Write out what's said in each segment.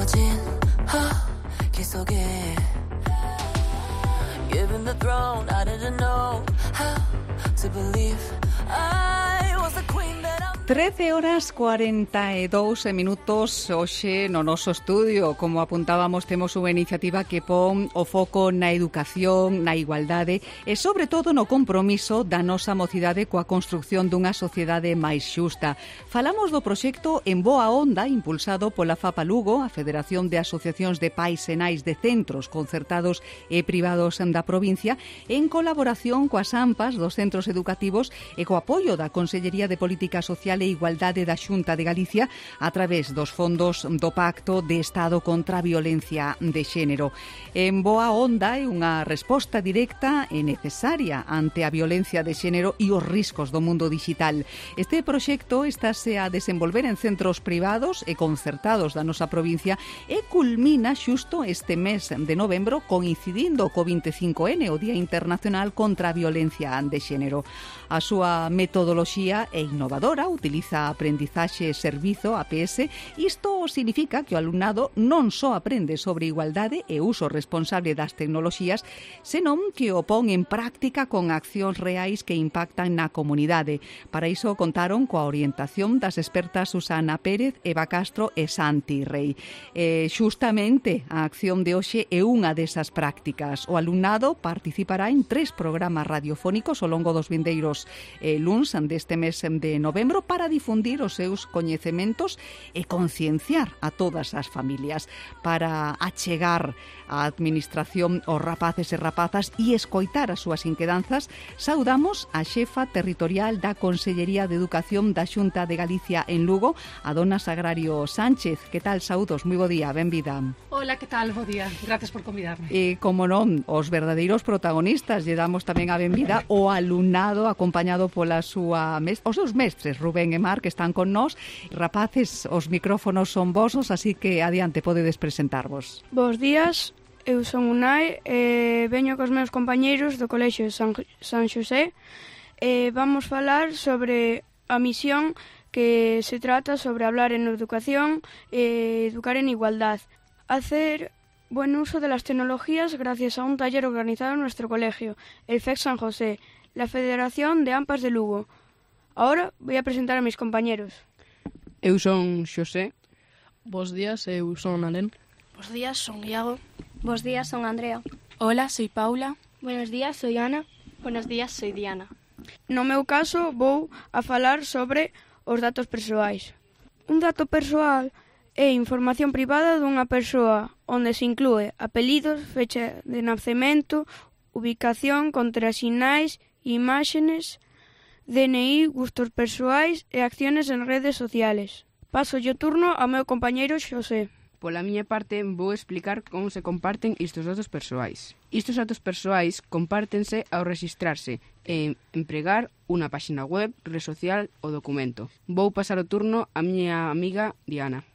어두워진 허기 속에 Given the throne, I didn't know how to believe I was the queen that I'm 13:42 hoxe no noso estudio. Como apuntábamos, temos unha iniciativa que pon o foco na educación, na igualdade e, sobre todo, no compromiso da nosa mocidade coa construción dunha sociedade máis xusta. Falamos do proxecto En Boa Onda, impulsado pola FAPA Lugo, a Federación de Asociacións de Pais e Nais de Centros Concertados e Privados da provincia, en colaboración coas AMPAs dos centros educativos e co apoio da Consellería de Política Social e Igualdade da Xunta de Galicia a través dos fondos do Pacto de Estado contra a Violencia de Xénero. En Boa Onda é unha resposta directa e necesaria ante a violencia de xénero e os riscos do mundo digital. Este proxecto estáse a desenvolver en centros privados e concertados da nosa provincia e culmina xusto este mes de novembro, coincidindo co 25N, o Día Internacional contra a Violencia de Xénero. A súa metodoloxía é innovadora, utiliza aprendizaxe e servizo, APS. Isto significa que o alumnado non só aprende sobre igualdade e uso responsable das tecnoloxías, senón que o pon en práctica con accións reais que impactan na comunidade. Para iso contaron coa orientación das expertas Susana Pérez, Eva Castro e Santi Rei. Xustamente a acción de hoxe é unha desas prácticas. O alumnado participará en 3 programas radiofónicos ao longo dos vindeiros luns deste mes de novembro para difundir os seus coñecementos e concienciar a todas as familias, para achegar a administración aos rapaces e rapazas e escoitar as súas inquedanzas. Saudamos a xefa territorial da Consellería de Educación da Xunta de Galicia en Lugo, a dona Sagrario Sánchez. Que tal, saúdos? Moi bo día, benvida. Hola, que tal? Bo día. Gracias por convidarme. E, como non, os verdadeiros protagonistas, lle damos tamén a benvida o alumnado acompañado pola súa os seus mestres, Rubén e Mar, que están con nós. Rapaces, os micrófonos son vosos, así que adiante, podedes presentarvos. Bos días, eu son Unai e veño cos meus compañeiros do Colexio San Xosé e vamos falar sobre a misión que se trata sobre hablar en educación e educar en igualdad. Hacer buen uso de las tecnologías gracias a un taller organizado en nuestro colegio, el FEC San José, la Federación de AMPAs de Lugo. Ahora voy a presentar a mis compañeros. Eu son Xosé. Bos días, eu son Alén. Bos días, son Iago. Bos días, son Andrea. Hola, soy Paula. Buenos días, soy Ana. Buenos días, soy Diana. No meu caso, vou a falar sobre os datos persoais. Un dato persoal é información privada dunha persoa onde se inclúe apelidos, fecha de nacemento, ubicación, contrasinais, imágenes, DNI, gustos persoais e acciones en redes sociales. Paso o turno ao meu compañeiro Xosé. Pola miña parte, vou explicar como se comparten estes datos persoais. Estes datos persoais compártense ao registrarse e empregar unha páxina web, red social ou documento. Vou pasar o turno á miña amiga Diana.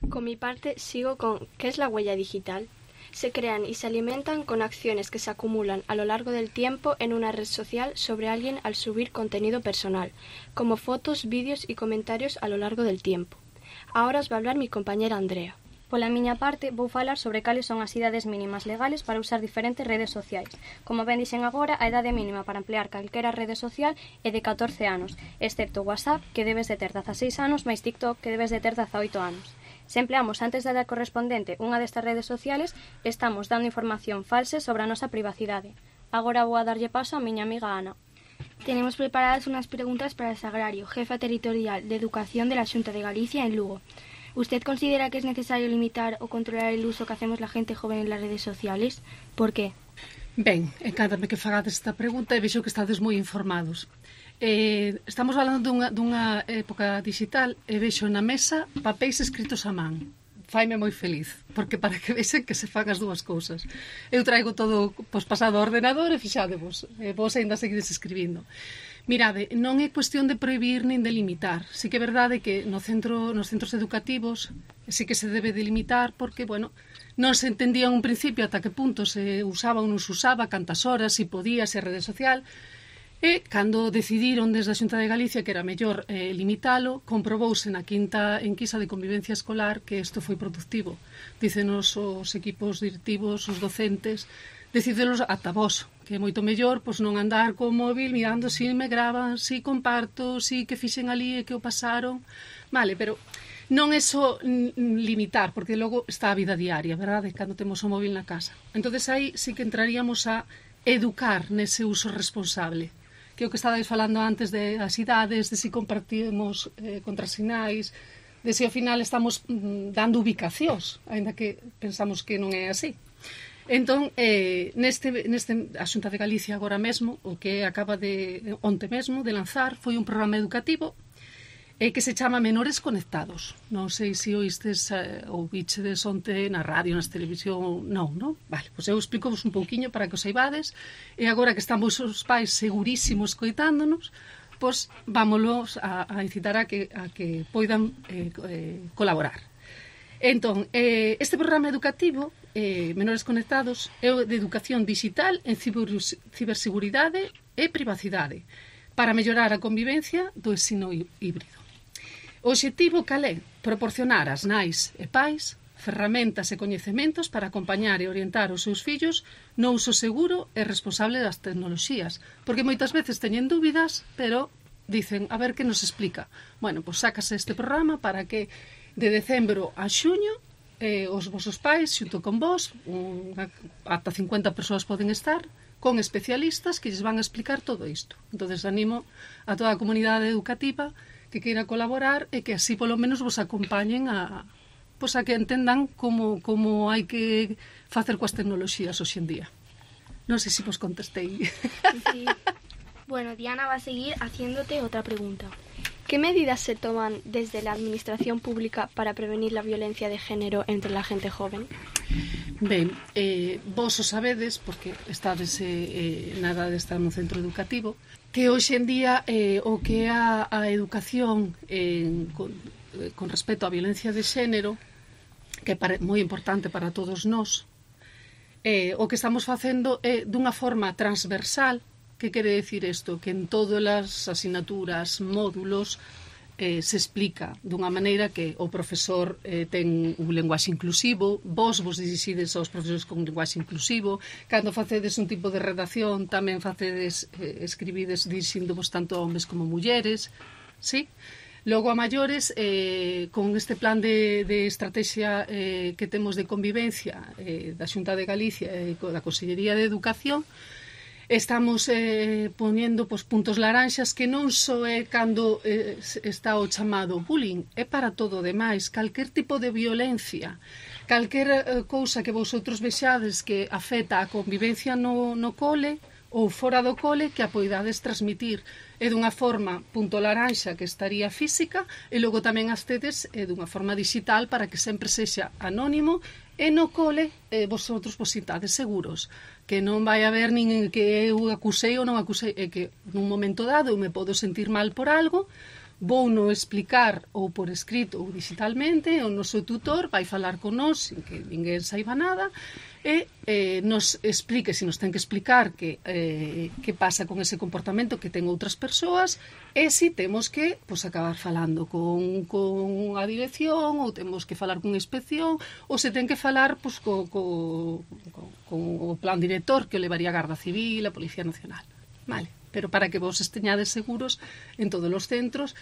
Con mi parte, sigo con ¿qué es la huella digital? Se crean y se alimentan con acciones que se acumulan a lo largo del tiempo en una red social sobre alguien al subir contenido personal, como fotos, vídeos y comentarios a lo largo del tiempo. Ahora os va a hablar mi compañera Andrea. Pola miña parte, vou falar sobre cales son as idades mínimas legales para usar diferentes redes sociais. Como ben dixen agora, a idade mínima para emplear calquera rede social é de 14 anos, excepto WhatsApp, que debes de ter 16 anos, máis TikTok, que debes de ter 18 anos. Se empleamos antes da edad correspondente unha destas redes sociales, estamos dando información falsa sobre a nosa privacidade. Agora vou a darlle paso a miña amiga Ana. Tenemos preparadas unas preguntas para el Sagrario, jefa territorial de Educación de la Xunta de Galicia en Lugo. ¿Usted considera que es necesario limitar o controlar el uso que hacemos la gente joven en las redes sociales? ¿Por qué? Ben, encántame que fagades esta pregunta e vexo que estades moi informados. Estamos falando dunha época digital e vexo na mesa papéis escritos a man. Faime moi feliz, porque para que vexen que se fan as dúas cousas. Eu traigo todo pasado ao ordenador e fixadevos, vos ainda seguides escribindo. Mirade, non é cuestión de prohibir nin de limitar. Sí que é verdade que nos centros educativos sí que se debe de limitar porque, bueno, non se entendía en un principio ata que punto se usaba ou non se usaba, cantas horas, se podía, se rede social. E, cando decidiron desde a Xunta de Galicia que era mellor limitalo, comprobouse na quinta enquisa de convivencia escolar que isto foi productivo. Dícenos os equipos directivos, os docentes, decidelos ata vos, que é moito mellor pois non andar co móvil mirando si me graban, si comparto, si que fixen ali e que o pasaron. Vale, pero non é só limitar, porque logo está a vida diaria, verdade? Cando temos o móvil na casa. Entonces aí sí que entraríamos a educar nese uso responsable, que é o que estabais falando antes de as idades, de si compartimos contrasinais, de si ao final estamos dando ubicacións, ainda que pensamos que non é así. Entón, a Xunta de Galicia agora mesmo, o que acaba de onte mesmo de lanzar, foi un programa educativo que se chama Menores Conectados. Non sei se oístes ou vichedes onte na radio, nas televisión, non? Vale, pois eu explico-vos un pouquiño para que os saibades, e agora que están vos os pais segurísimos coitándonos, pois vámonos a incitar a que poidan colaborar. Entón, este programa educativo, Menores Conectados, é de educación digital en ciberseguridade e privacidade para mellorar a convivencia do ensino híbrido. O obxectivo cal é? Proporcionar ás nais e pais ferramentas e coñecementos para acompañar e orientar os seus fillos no uso seguro e responsable das tecnoloxías, porque moitas veces teñen dúbidas, pero dicen, a ver que nos explica. Bueno, pois sácase este programa para que de decembro a xuño os vosos pais, xunto con vos, ata 50 persoas poden estar, con especialistas que lles van a explicar todo isto. Entón, animo a toda a comunidade educativa que queira colaborar e que así polo menos vos acompañen a que entendan como hai que facer coas tecnoloxías hoxe en día. Non sei se vos contestei. Sí. Bueno, Diana va a seguir haciéndote otra pregunta. ¿Qué medidas se toman desde la administración pública para prevenir la violencia de género entre la gente joven? Ben, vos o sabedes, porque estades nada de estar nun centro educativo, que hoxe en día o que é a educación con respecto á violencia de xénero, que é moi importante para todos nós, o que estamos facendo é dunha forma transversal. Que quere decir isto? Que en todas as asignaturas, módulos, se explica dunha maneira que o profesor ten un lenguaxe inclusivo, vos dirixides aos profesores con un lenguaxe inclusivo, cando facedes un tipo de redacción tamén facedes, escribides dirixindovos tanto a homes como mulleres, sí? Logo a maiores, con este plan de estrategia que temos de convivencia da Xunta de Galicia e da Consellería de Educación, estamos poñendo puntos laranxas que non só é cando está o chamado bullying, é para todo o demais, calquer tipo de violencia, calquer cousa que vosotros vexades que afecta a convivencia no cole ou fora do cole, que a poidades transmitir é dunha forma punto laranxa que estaría física e logo tamén as tedes dunha forma digital para que sempre sexa anónimo e no cole vosotros vos sintades seguros, que non vai haber nin que eu acusei ou non acusei, é que nun momento dado eu me podo sentir mal por algo, vou no explicar ou por escrito ou digitalmente, o noso tutor vai falar con nós sin que ninguén saiba nada e nos explique, se nos ten que explicar que pasa con ese comportamento que ten outras persoas e se temos que acabar falando con a dirección ou temos que falar con inspección ou se ten que falar con o plan director que o levaría a Garda Civil, a Policía Nacional. Vale, pero para que vos esteñades seguros en todos os centros,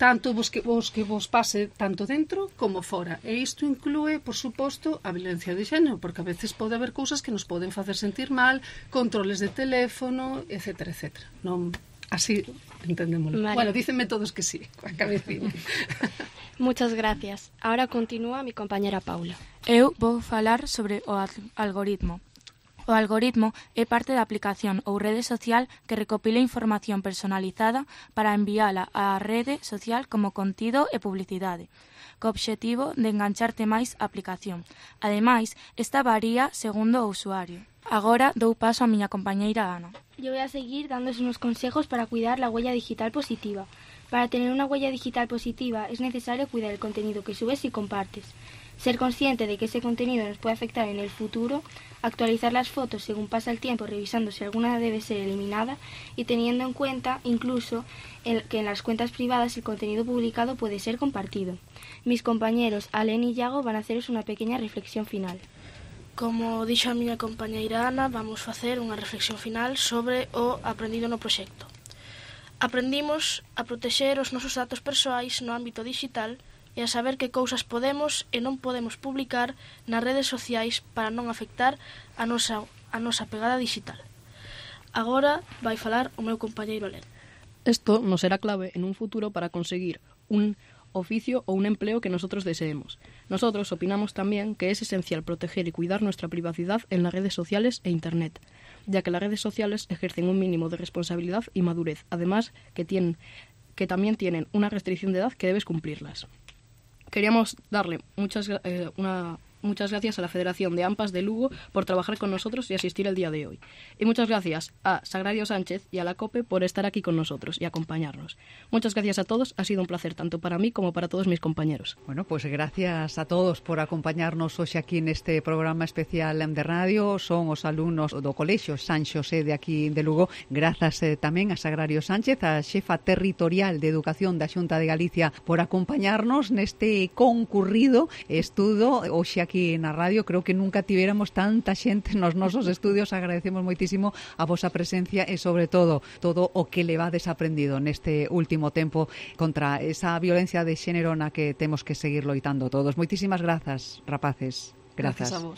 tanto que vos pase tanto dentro como fora. E isto inclúe, por suposto, a violencia de xénero, porque a veces pode haber cousas que nos poden facer sentir mal, controles de teléfono, etcétera, etcétera. Non, así entendémoslo. Vale. Bueno, dícenme todos que sí, a cabecina. Muchas gracias. Ahora continúa mi compañera Paula. Eu vou falar sobre o algoritmo. O algoritmo é parte da aplicación ou rede social que recopila información personalizada para enviala á rede social como contido e publicidade, co obxectivo de engancharte máis a aplicación. Ademais, esta varía segundo o usuario. Agora dou paso a miña compañeira Ana. Yo voy a seguir dándos unos consejos para cuidar la huella digital positiva. Para tener una huella digital positiva es necesario cuidar el contenido que subes y compartes. Ser consciente de que ese contenido nos puede afectar en el futuro, actualizar las fotos según pasa el tiempo, revisando si alguna debe ser eliminada y teniendo en cuenta incluso que en las cuentas privadas el contenido publicado puede ser compartido. Mis compañeros Alen y Iago van a haceros una pequeña reflexión final. Como dixo a miña compañeira Ana, vamos facer unha reflexión final sobre o aprendido no proxecto. Aprendimos a protexer os nosos datos persoais no ámbito digital e a saber que cousas podemos e non podemos publicar nas redes sociais para non afectar a nosa pegada digital. Agora vai falar o meu compañeiro Alen. Esto nos será clave en un futuro para conseguir un oficio o un empleo que nosotros deseemos. Nosotros opinamos también que es esencial proteger y cuidar nuestra privacidad en las redes sociales e Internet, ya que las redes sociales ejercen un mínimo de responsabilidad y madurez, además que también tienen una restricción de edad que debes cumplirlas. Queríamos darle muchas gracias a la Federación de AMPAs de Lugo por trabajar con nosotros y asistir el día de hoy. Y muchas gracias a Sagrario Sánchez y a la COPE por estar aquí con nosotros y acompañarnos. Muchas gracias a todos, ha sido un placer tanto para mí como para todos mis compañeros. Bueno, pues gracias a todos por acompañarnos hoxe aquí neste programa especial de radio. Son os alumnos do Colexio San Xosé de aquí de Lugo. Grazas tamén a Sagrario Sánchez, a xefa territorial de Educación da Xunta de Galicia, por acompañarnos neste concurrido estudo hoxe aquí na radio. Creo que nunca tivéramos tanta xente nos nosos estudios. Agradecemos moitísimo a vosa presencia e sobre todo o que levades aprendido neste último tempo contra esa violencia de xénero na que temos que seguir loitando todos. Moitísimas grazas, rapaces. Grazas. Gracias a vos.